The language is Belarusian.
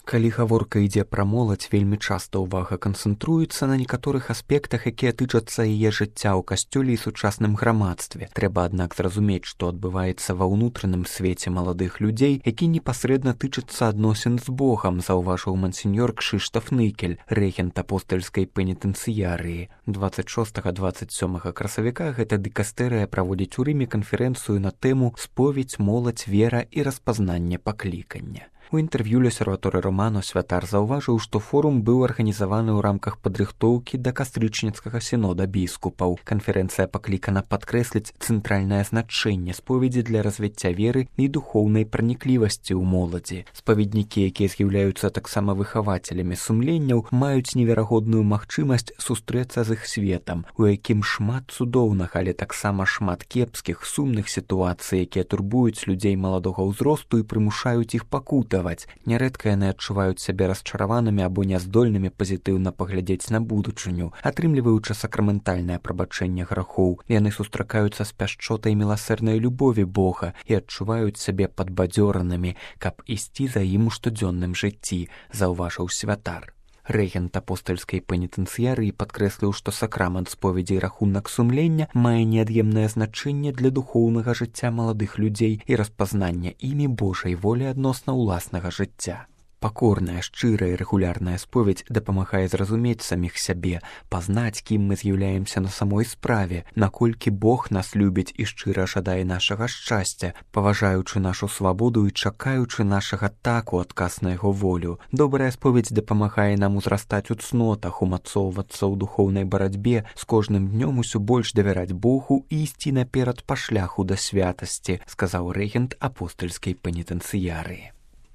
Калі гаворка ідзе пра моладзь, вельмі часта ўвага канцэнтруецца на некаторых аспектах, якія тычацца яе жыцця ў касцёле і сучасным грамадстве. Трэба, аднак, зразумець, што адбываецца ва ўнутраным свеце маладых людзей, які непасрэдна тычацца адносін з Богам, заўважыў мансеньор Кшыштаф Ныкель, рэгент апостальскай пенітэнцыярыі. 26-27 красавіка гэта дыкастэрыя праводзіць у Рыме канферэнцыю на тэму «Споведь, моладзь, вера і распазнанне паклікання». У інтэрв'ю Лёсерваторы Романо святар заўважыў, што форум быў арганізаваны ў рамках падрыхтоўкі да кастрычніцкага сінода біскупаў. Канферэнцыя паклікана падкрэсліць цэнтральнае значэнне споведзі для развіцця веры і духоўнай праніклівасці ў моладзі. Спаведнікі, якія з'яўляюцца таксама выхавацелямі сумленняў, маюць неверагодную магчымасць сустрэцца з іх светам, у якім шмат цудоўнага, але таксама шмат кепскіх, сумных сітуацый, якія турбуюць людзей маладога ўзросту і прымушаюць іх пакутаваць. Нярэдка яны адчуваюць сябе расчараванымі або няздольнымі пазітыўна паглядзець на будучыню, атрымліваючы сакраментальнае прабачэнне грахоў. Яны сустракаюцца з пяшчотай міласэрнай любові Бога і адчуваюць сябе падбадзёранымі, каб ісці за ім у штодзённым жыцці, заўважыў святар. Рэгент апостальскай пенітэнцыярыі падкрэсліў, што сакрамент споведзі і рахунак сумлення мае неад'емнае значэнне для духоўнага жыцця маладых людзей і распазнання імі Божай волі адносна ўласнага жыцця. Пакорная, шчырая і рэгулярная споведь дапамагае зразумець саміх сябе, пазнаць, кім мы з'яўляемся на самой справе, наколькі Бог нас любіць і шчыра жадае нашага шчасця, паважаючы нашу свабоду і чакаючы нашага так у адказ на яго волю. Добрая споведь дапамагае нам узрастаць у цнотах, умацоўвацца ў духоўнай барацьбе, з кожным днём усё больш давяраць Богу і ісці наперад па шляху да святасці, сказаў рэгент апостальскай пенітэнцыярыі.